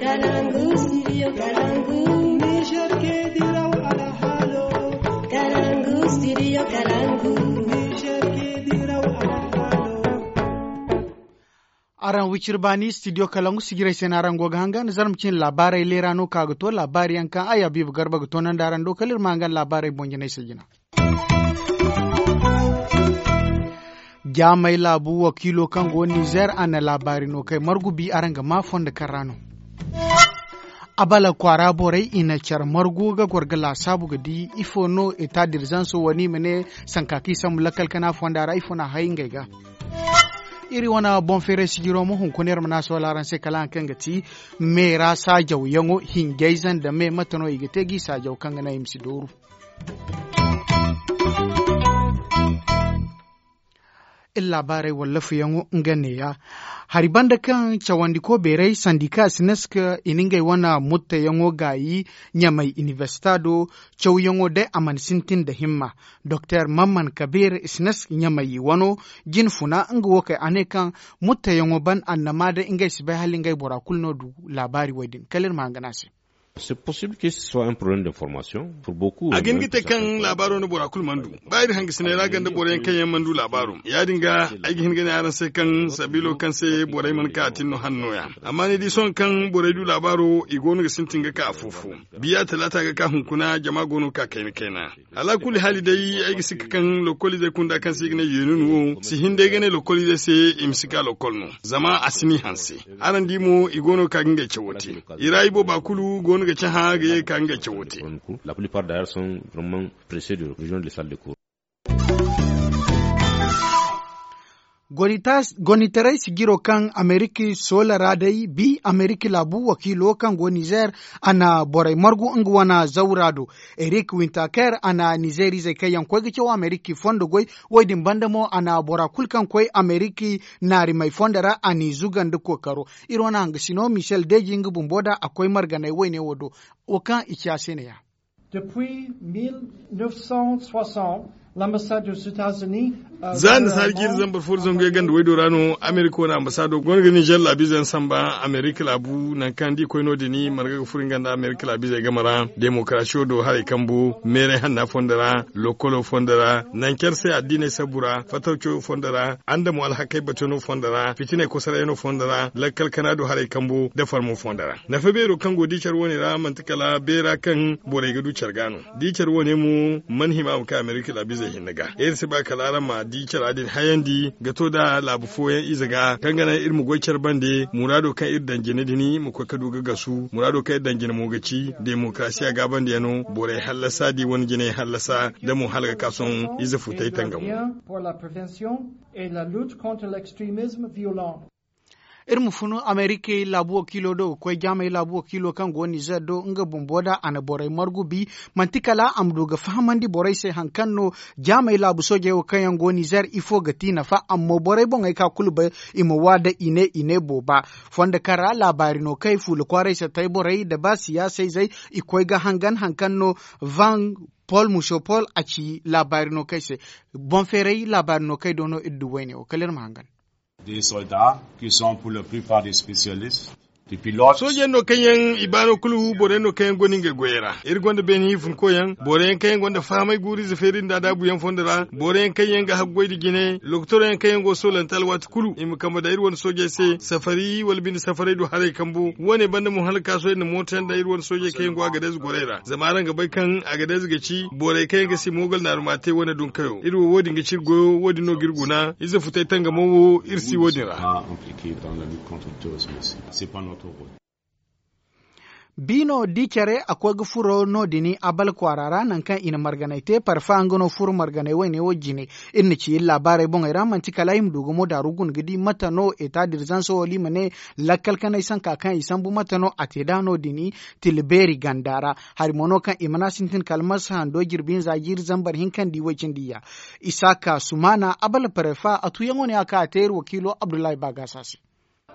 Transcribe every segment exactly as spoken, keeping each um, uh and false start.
Kalangu, studio Kalangu. Niger ke diraw alhalo. Kalangu, studio Kalangu. Niger ke diraw alhalo. Araŋ wiciri baani studio Kalangu sijirey se no araŋ go ga hangan zarma cine laabaarey leera no ka ga to laabaari yaŋ kaŋ ay Habiibu Garba ga toonandi araŋ do kala iri ma hangan laabaarey boŋ jinay se jina. Jaamay laabu wakiilo kaŋ go Nizer a na laabaari no kay margu bi araŋ ga maa fondo kaŋ ra no. Abala kwaara borey i na care margu ga goro ga laasaabu ga di ifo no eta dirzanso wani i ma ne sanka kaŋ i sambu lakkal kana fonda ra ifo no a hay ngey ga. Iri wane boŋ feeray sijiro mo hunkuna iri ma ne a sohõ araŋ se kala haŋ kaŋ ga ti me ra saajaw yaŋo hinjayze nda me mate no i ga te g'i saajaw kaŋ ga naŋ i ma si dooru. Iri laabaarey wallaafuyaŋo nga neeya. Hari banda kaŋ cawandiko beeray sandika sinesk i na ngey wane muttayaŋo gaayi ɲamay inibersita do. Cawyaŋo day a mana sintin nda himma. Doktor mamman kabeer sinesk ɲamay wano jine funa nga wo kay a ne kaŋ muttayaŋo ban annama day ngey si bay hala ngey bora kulu no du laabaari wo- din kala iri ma hangan a se. C'est possible que ce soit un problème d'information pour beaucoup. A ga hin ga te kaŋ laabaaro no bora kulu mana du ba iri hangasiney ra ganda boroyaŋ kaŋ yaŋ mana du laabaaro ya- din ga ay ga hin ga ne araŋ se kaŋ sabiilo kaŋ se borey mana ka a tin no hanno ya. Amma ni di sohõ kaŋ borey du laabaaro i go no ga sintin ga ka afo-fo. Biya talaata ga ka hunkuna jama go no ga ka kayna-kayna. Alaakulli haali day ay ga sikka kaŋ lokoliizey kunda kaŋ se i ga ne yeenun wo si hin day ga ne lokoliizey se i ma si ka lokol no. Zama a si n'i hanse. Araŋ di mo i go no ga ka ga ngey cawo te. I ra ibooba kulu go no ga cahã ga ye ga ka ga ngey cawo te. La plupart d'ailleurs sont vraiment pressés de rejoindre les salles de cours. Gonitaray sijiro kaŋ ameriki soola ra day bi ameriki laabu wakiilo kaŋ go nizer a na borey margu nga wane zawra do. Erik wintaker a na nizer izey kaŋ yaŋ koy ga caw ameriki fondo goy. Wo- din banda mo a na bora kulu kaŋ koy ameriki naarimey fondo ra a n'i zuga nda kookaro. Iri wane hangasino michel deji nga bumbo da a koy marganey woyne wo do. Wo kaŋ i ci a se ne ya. Depuis mille neuf cent soixante, l'ambassade aux États-Unis. Za nda saari jiiri zambar fo da zangu yaŋ ganda waydo ra no amerika wane ambasaado go no ga nizer laabiize yaŋ samba amerika laabu nangu kaŋ da i koy no- din marga ga furo nga nda amerika laabiizey game ra demokarasiyo do haray kambo meeray hanna fondo ra lokolo fondo ra nangu care se addiiney sabbu ra fatawco fondo ra andamo alhakey batano fondo ra fitiney kosarayano fondo ra lakkal kana do haray kambo nda farmo fondo ra. Nafa beero kaŋ go di care wane ra manti kala beera kaŋ borey ga du care ga no. Da i care wane mo mana hima a ma ka amerika laabiizey hinne ga iri si ba kala araŋ ma di cara din hayandi ga to nda laabu fooyaŋ ize ga kaŋ ga naŋ iri ma goy care bande muraado kaŋ iri daŋ jine din ma koy ga du ga gasu muraado kaŋ iri daŋ jine mo ga ci demokarasiya gaabandiyano borey hallasa da i wane jinay hallasa nda mo hala ga ka sohõ ize futay tangamo. Iri ma funu amerikey laabu wakiilo do ga koy jaamey laabu wakiilo kaŋ go nizer do nga bumbo da a na borey margu bi. Manti kala a ma du ga fahamandi borey se hari kaŋ no jaamey laabu soojey wo kaŋ yaŋ go nizer ifo ga ti nafa amma borey boŋey ka kulu bay i ma wa da i ne i ne booba. Fondo kaŋ ra laabaari no kay fuula kwaaray se tay borey nda ba siyaasayzey i koy ga hangan hari kaŋ no van pol muso pol a ci laabaari no kay se. Boŋ feeray laabaari no kay do no iri du wayne wo kala iri ma hangan. Des soldats qui sont pour la plupart des spécialistes. Soojey no kaŋ yaŋ i baano kulu boro yaŋ no kaŋ yaŋ gonda ngey goyey ra iri gonda beene hinfuna koy yaŋ boro yaŋ kaŋ yaŋ gonda fahamay guuru ize feeri nda adaabu yaŋ fondo ra boro yaŋ kaŋ yaŋ ga haggoy nda jine lokotor yaŋ kaŋ yaŋ go ga soolante alwaati kulu i ma kambe daŋ iri wane soojey se safari wala binde safaray do haray kambo wo- ne banda mo hala ga ka sohõ iri na mooto yaŋ daŋ iri wane soojey kaŋ yaŋ go agadez gorey ra zama araŋ ga bay kaŋ agadez ga ci borey kaŋ yaŋ ga si moogal naaruma te wane dunkayo iri wo wo- din ga ci iri goyo wo- din no ga iri guna ize futay tangamo wo iri si wo- din ra. Biino di care a koy ga furo no- din abal kwaara ra nangu kaŋ i na marganay te parfa nga no furo marganay wayne wo- jine. Iri na ci iri laabaarey boŋey ra manti kala i ma du ga mo daaru guna ga di mate no eta dirzanso wala i ma ne lakkal kanay sanka kaŋ i sambu mate no a te nd'a no- din tila beeri ganda ra. Hari mo no kaŋ i mana sintin kala marsa hando jirbi hinza jiiri zambar hinka nda i way cindi ya. Isaka sumana abala parefa a tuyaŋo ne a ka a te iri wakiilo abdullahi bagasa se.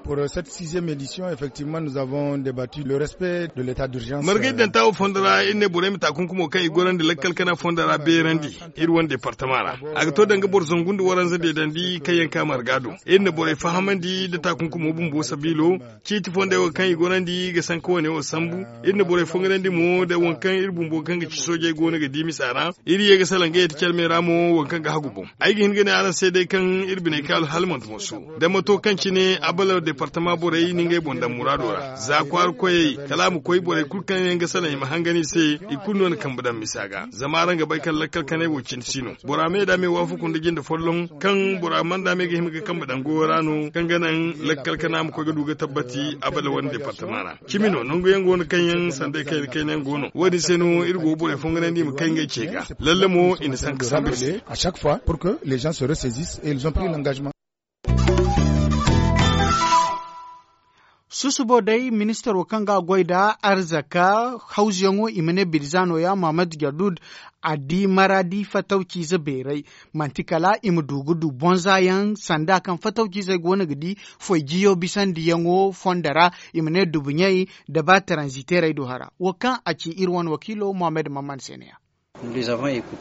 Pour cette sixième édition, effectivement, nous avons débattu le respect de l'état d'urgence. Margay danta wo fondo ra iri ne borey ma taakunkumo kaŋ i gorandi lakkal kana fondo ra beerandi iri wane departama ra. A ga to danga boro zangu nda waranza deedandi kaŋ yaŋ ka marga do. Iri na borey fahamandi nda taakunkumo bumbo sabiilo. Ciiti fondey wo kaŋ i gorandi ga sanka wane wo sambu. Iri na borey fongarandi mo nda waŋ kaŋ iri bumbo kaŋ ga ci soojey go no ga di misa ra. Iri ye ga salaŋ ga yeti calmey ra mo waŋ kaŋ ga hagu boŋ. Ay ga hin ga ne araŋ se day kaŋ iri biney kaalu hala manti moso. Dama to kaŋ cine abala departama borey na ngey boŋ daŋ muraado ra za kwaara koyey kala a ma koy borey kulu kaŋ yaŋ ga salaŋ i ma hangan i se. I kulu no na kambe daŋ misa ga zama araŋ ga bay kaŋ lakkal kanay wo cine si no. Bora me da me waafaku nda jinde folloŋ kaŋ bora mana da me ga hima ga kambe daŋ goyo ra no kaŋ ga naŋ lakkal kana ma koy ga du ga tabbati abala wane departama ra. Cimi no nangu yaŋ go no kaŋ yaŋ sanday kayna kayna yaŋ go no wo- din se no iri go ga borey fonganandi i ma kay ngey ce ga. Lalle mo i na sanka sambu i se. À chaque fois pour que les gens se ressaisissent et ils ont pris l'engagement. Susubo day ministaro kaŋ ga a goy nda arzaka hawzuyaŋo i ma ne birza no- ya mahamad jadud a di maradi fatawciize beeray. Manti kala i ma du ga du bonza yaŋ sanda kaŋ fatawciizey go no ga di foy jiyo bisandiyaŋo fondo ra. I ma ne dubuɲey nda ba taranziteerey do hara wo kaŋ a ci iri wane wakiilo mohammed maman se ne- ya.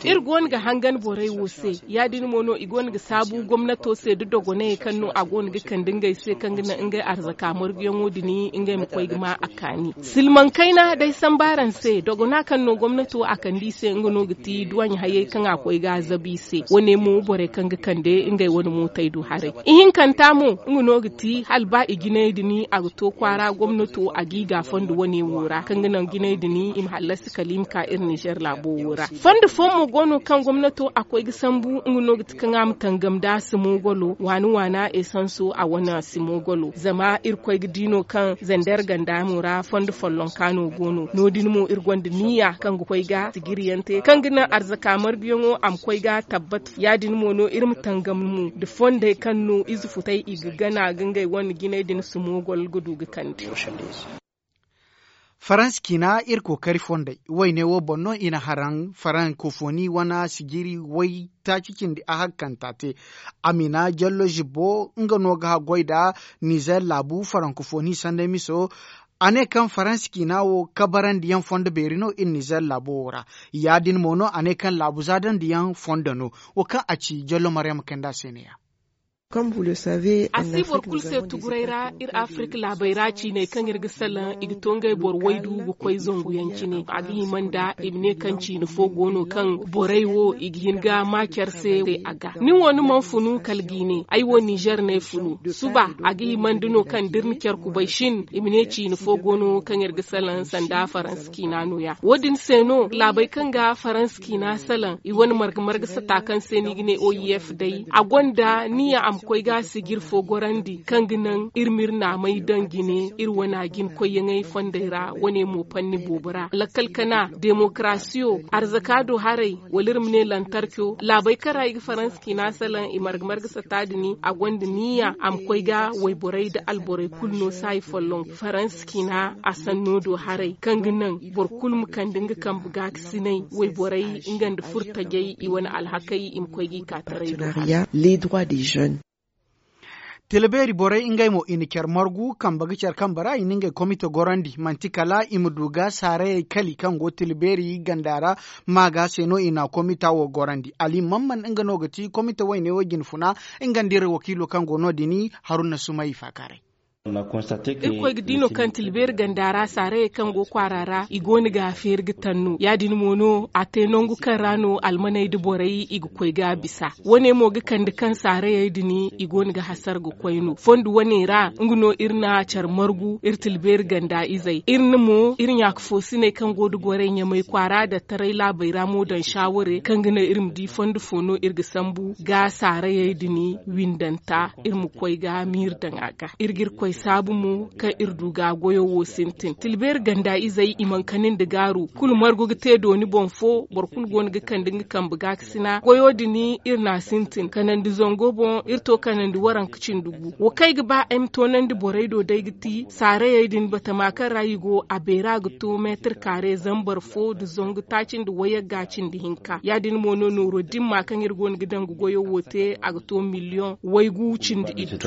Iri go no ga hangan borey wo se ya- din mo no i go no ga saabu gomnato se nda dogonayey kaŋ no a go no ga kande ngey se kaŋ ga naŋ ngey arzaka marguyaŋo din ngey ma koy ga ma a kaani. Silmaŋ kayna day samba araŋ se dogona kaŋ no gomnato a kande i se nga no ga ti duwaɲ hayey kaŋ a koy ga a zabu i se wo- ne mo borey kaŋ ga kande ngey wane mootey do haray. Ihinkanta mo nga no ga ti hala ba i jinay din a ga to kwaara gomnato a ga i ga a fondo wo- ne wo ra kaŋ ga naŋ jinay din i ma hallasi kala i ma ka iri nizer laabo wo ra. Fondo fooyaŋ mo go no kaŋ gomnato a koy ga sambu nga no ga ti kaŋ a ma tangam nda simogolo waani waana esanso a wane simogolo zama iri koy ga di no kaŋ zander ganda mo ra fondo follonka no go no no- din mo iri gonda niya kaŋ ga koy ga sigiriyaŋ te kaŋ ga naŋ arzaka marguyaŋo a ma koy ga tabbat ya- din mo no iri ma tangam mo nda fondey kaŋ no ize futey i ga gana ga ngey wane jinay din simogol ga du ga kande. Faransa ciina iri kookari fondey wayne wo boŋ no i na haraŋ farankofoni wane sijiri way taaci cindi a hakkanta te. Amina jallo zibbo nga no ga haggoy nda nizer laabu farankofoni sanday miso. A ne kaŋ faransa ciina wo kabarandiyaŋ fondo beeri no iri nizer laabo wo ra. Ya- din mo no a ne kaŋ laabu zaadandiyaŋ fondo no wo kaŋ a ci jallo maryama kanda se ne- ya. A si boro kulu se tuguray ra iri afirka laabey ra ciiney kaŋ iri ga salaŋ i ga to ngey boro waydu ga koy zangu yaŋ cine a ga hima nda i ma ne kaŋ ciine fo go no kaŋ borey wo i ga hin ga ma care se a ga ni wo ni mana funu kala ga i ne ay wo nizer no ay funu. Suba a ga hima nda no kaŋ da iri na care kubay shin i ma ne ciine fo go no kaŋ iri ga salaŋ sanda faransa ciina no- ya wo- din se no laabey kaŋ ga faransa ciina salaŋ i wane marga marga sata kaŋ se no i ga ne o i f day a gonda niya a ma koy ga sijir fo gorandi kaŋ ga naŋ iri ma iri naamey daŋ jine iri wane a jina koyyaŋey fondey ra wane mo panni boobo ra lakkal kana demokarasiyo arzaka do haray wala iri ma ne lantarco laabey kaŋ ra i ga faransa ciina salaŋ i marga marga sata din a gonda niya a ma koy ga wayborey nda alborey kulu no saayi folloŋ faransa ciina a sanno do haray kaŋ ga naŋ boro kulu ma kande nga kambe gaakasinay wayborey nga nda furtajey i wane alhakey i ma koy ga i ka taray do haray. Tila beeri borey ngey mo i na care margu kambe ga care kambe ra i na ngey komite gorandi manti kala i ma du ga saarayey kali kaŋ go tila beeri ganda ra. Ma ga se no i na komita wo gorandi ali mamman nga no ga ti komite wayne wo jine funa nga nda iri wakiilo kaŋ go no- din haruna sumay faakaaray. Irkoy ga di no kaŋ tilbeeri ganda ra saarayey kaŋ go kwaara ra i go no ga a feeri ga tanno ya- din mo no a te nangu kaŋ ra no almaney nda borey i ga koy ga bisa. Wo- ne mo ga kande kaŋ saarayey din i go no ga hasara ga koy no fondo wo- ne ra nga no iri na care margu iri tilbeeri ganda izey iri na mo iri ɲaaka foosiney kaŋ go nda gorey ɲamay kwaara dattaray laabey ra mo daŋ saaware kaŋ ga naŋ iri ma di fondo fo no iri ga sambu ga saarayey din windanta iri ma koy ga miiri daŋ a ga iri ga iri koy saabu mo kaŋ iri du ga goyo wo sintin tilbeeri ganda izey i mana kani nda gaaru kulu margu ga te dooni boŋ fo boro kulu go no ga kande nga kambe gaakasina goyo din iri na a sintin kanandi zango boŋ iri to kanandi waranka cindi gu wo kaŋ ay ga ba ay ma toonandi borey do day ga ti saarayey din batama kaŋ ra i go a beera ga to meetir kaare zambar fo nda zangu taaci nda wayagga cindi hinka ya- din mo no nooro dimma kaŋ iri go no ga daŋ ga goyo wo te a ga to miliyoŋ waygu cindi iddu.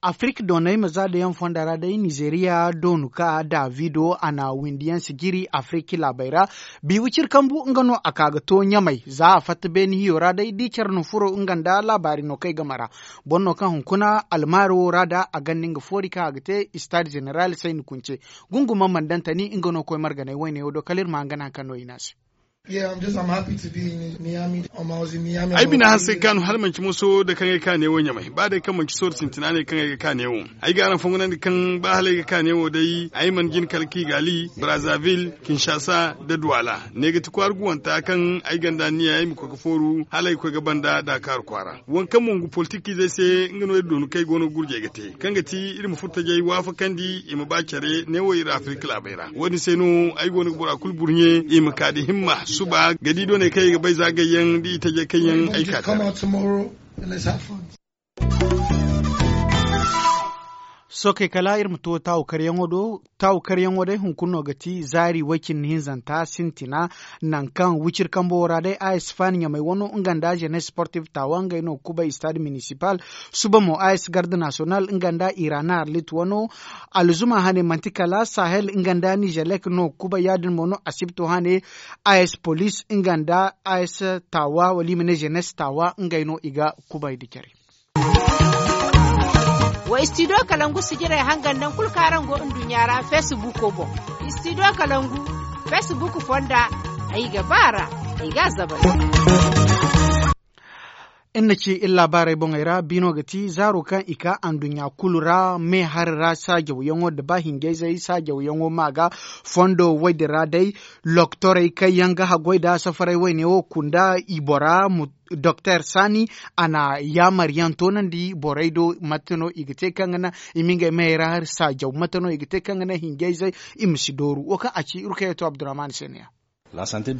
Afirik doonay ma za da yaŋ fonda ra day nizeriya doonu ka davido a na windiyaŋ sijiri afirik laabey ra. Bi wicir kambu nga no a ka ga to ɲamay za a fatta beeni hiyo ra day da i care no furo nga nda laabaari no kay game ra. Boro no kaŋ hunkuna almaari wo ra da a ganda nga foori kaŋ a ga te istaad zeneral sayni kunce. Gunguma mandantani nga no koy marganay wayne wo do kala iri ma hangan hari kaŋ no i ne a se. Ay bina hanse ga kaanu hala manci moso da kaŋ ay kaane wo ɲamay ba day kaŋ manci sooro sintina ne kaŋ ay ga kaane wo. Ay ga araŋ fongonandi kaŋ ba hala ay ga kaane wo day ay mana jin kala kigali brazaville kinshasa da duwala ne ga ti kwaara guwanta kaŋ ay ganda niya ay ma koy ga fooru hala ay ga koy ga banda dakar kwaara. Waŋ kaŋ mo ngu politikizey se nga no iri doonu kaŋ ay go no ga gurjey ga te kaŋ ga ti iri ma furo tajey waafakandi i ma ba care neewo iri afirika laabey ra. Wo- din se no ay go no ga bora kulu burɲe i ma ka da himma suba ga di dooney kaŋ i ga bay za gayyaŋ da i tajey kaŋ yaŋ ay ka te. Sookey kala iri ma to taawu karyaŋo do. Taawu karyaŋo day hunkuna no ga ti zaari way- cindi hinzanta sintina. Nangu kaŋ wiciri kambo wo ra day a s faani ɲamay wano nga nda zenes sportif taawa ngey no ga kubay istaad minisipal. Suba mo a s garde nasiyonal nga nda iraana arlit wano. Alzuma hane manti kala sahel nga nda nizelek no ga kubay ya- din mo no asibto hane. A s polis nga nda a s taawa wala i ma ne zenes taawa ngey no i ga kubay nda care. Wa istidiyo kalangu sijirey hangan nangu kulu kaŋ araŋ go nduɲɲa ra feesibuuko boŋ. Istidiyo kalangu feesibuuko fonda. Ay ga ba a ra. Ay ga a zabay. Iri na ci iri laabaarey boŋey ra biino ga ti zaaro kaŋ i ka anduɲɲa kulu ra me hari ra saajawyaŋo nda ba hinjayzey saajawyaŋo ma ga fondo woy din ra day. Loktorey kaŋ yaŋ ga haggoy nda safaray wayne wo kunda i bora. Doktor sani a na yaamaryaŋ toonandi borey do mate no i ga te kaŋ ga naŋ i ma ngey mayey ra hari saajaw mate no i ga te kaŋ ga naŋ hinjayzey i ma si dooru wo kaŋ a ci iri kaŋ yaŋ to abdurrahman se no- ya.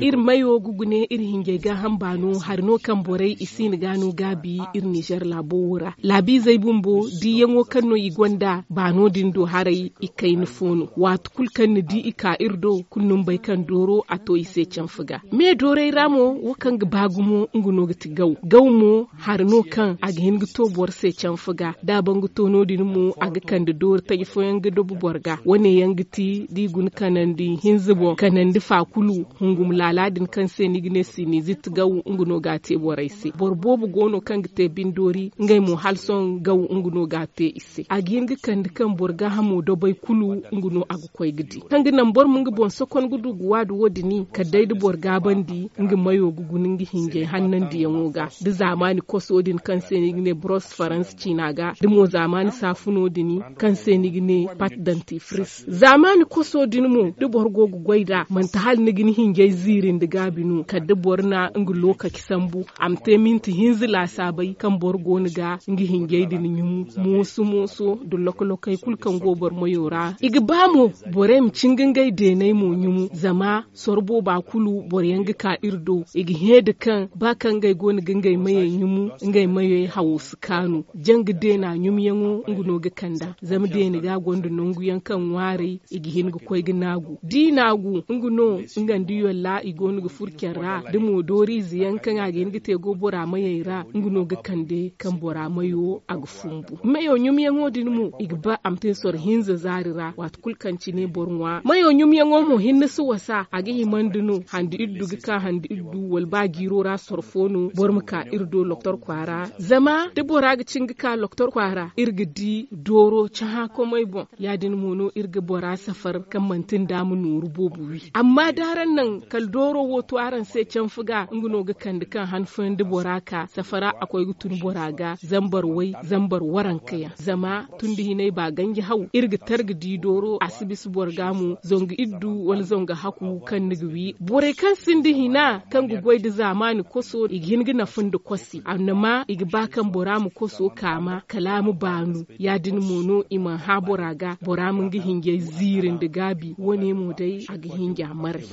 Iri mayo ga gune iri hinjey gaaham baano hari no kaŋ borey i siina ga no gaabi iri nizer laabo wo ra laabiizey bumbo diiyaŋo kaŋ no i gonda baano din do haray i kayna fo no waati kulu kaŋ ni di i ka iri do kulu ni ma bay kaŋ dooro a to i se canfa ga. Me doorey ra mo wo kaŋ ga ba gumo nga no ga ti gaw gaw mo hari no kaŋ a ga hin ga to boro se canfa ga da a ban ga to no- din mo a ga kande doori taji fooyaŋ ga dobo boro ga wane yaŋ ga ti da i guna kanandi hinza boŋ kanandi fa kulu hungum laala din kaŋ se ni ga ne sinizit gaw nga no ga a te borey se boro boobo go no kaŋ ga te bindoori ngey mo hala sohõ gaw nga no ga a te i se a ga hin ga kande kaŋ boro gaahamo dobay kulu nga no a ga koy ga di kaŋ ga naŋ boro ma nga boŋ sokon ga du ga waadu wo- din kala day da boro gaabandi nga mayo ga guna nga hinjay hannandiyaŋo ga da zaamaani koso din kaŋ se no i ga ne boros faransa ciina ga da mo zaamaani saafuno din kaŋ se no i ga ne pat dantifris zaamaani koso din mo da boro go ga goy nd'a manti hala ni ga ni hinjay ziiri nda gaabi no kala da boro na nga lookaci sambu a ma te minti hinza laasaabay kaŋ boro go no ga nga hinjay din ɲumu mooso mooso nda loko-lokey kulu kaŋ go boro mayo ra i ga ba mo borey ma cinga ngey deeney mo ɲumu zama soro booba kulu boro yaŋ ga ka iri do i ga hẽ da kaŋ ba kaŋ ngey go no ga ngey mayey ɲumu ngey mayey hawo si kaanu janga deena ɲumyaŋo nga no ga kand'a zama deena ga gonda nangu yaŋ kaŋ ŋwaaray i ga hin ga koy ga naagu da i naagu nga no nga nda yolla i go no ga furo care ra da mo dooriize yaŋ kaŋ a ga hin ga te go bora mayey ra nga no ga kande kaŋ bora mayo a ga fumbu mayo ɲumyaŋo din mo i ga ba a ma te soro hinza zaari ra waati kulu kaŋ cine boro ŋwa mayo ɲumyaŋo mo hinne si wasa a ga himandi no handi iddu ga ka handi iddu wala ba jiiro ra soro fo no boro ma ka iri do loktor kwaara zama da bora ga cin ga ka loktor kwaara iri ga di dooro cahã komey boŋ ya- din mo no iri ga bora safar kaŋ manti nda ma nooru boobo wi amma da araŋ naŋ kala dooro wo to araŋ se canfa ga nga no ga kande kaŋ han fooyaŋ da bora ka safara a koy ga tun bora ga zambar way zambar waranka yaŋ zama tun da hinay ba ganji haw iri ga tar ga di dooro a si bisa boro ga mo zangu iddu wala zangu haku kaŋ ni ga wi borey kaŋ sinda hina kaŋ ga goy nda zaamaani koso i ga hin ga nafa nda kosi annama i ga ba kaŋ bora ma koso kaama kala a ma baanu ya- din mo no i mana hã bora ga bora ma nga hinjay ziiri nda gaabi wo- ne mo day a ga hinja maray.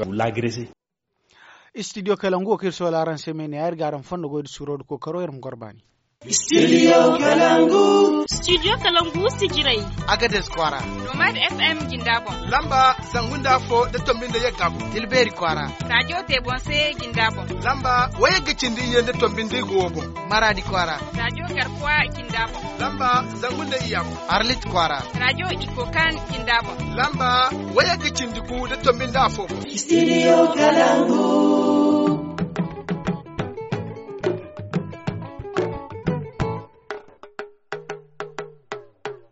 Istidiyo kalangu wo kaŋ iri soola araŋ se me ne ya iri ga araŋ fondo goy nda suuro nda kookaro iri ma goro baani. Studio Kalangu. Studio Kalangu sijirey. Agadez kwaara. Nomad F M jinda boŋ. Lamba zangu nda afo da tombi nda yagga boŋ. Tilbeeri kwaara. Radio Tebonse jinda boŋ. Lamba wayagga cindi iyye nda tombi nda igo boŋ. Maradi kwaara. Radio Garkuwa jinda boŋ. Lamba zangu nda iyya boŋ. Arlit kwaara. Radio Ikokan jinda boŋ. Lamba wayagga cindi gu da tombi nda afo boŋ. Studio Kalangu.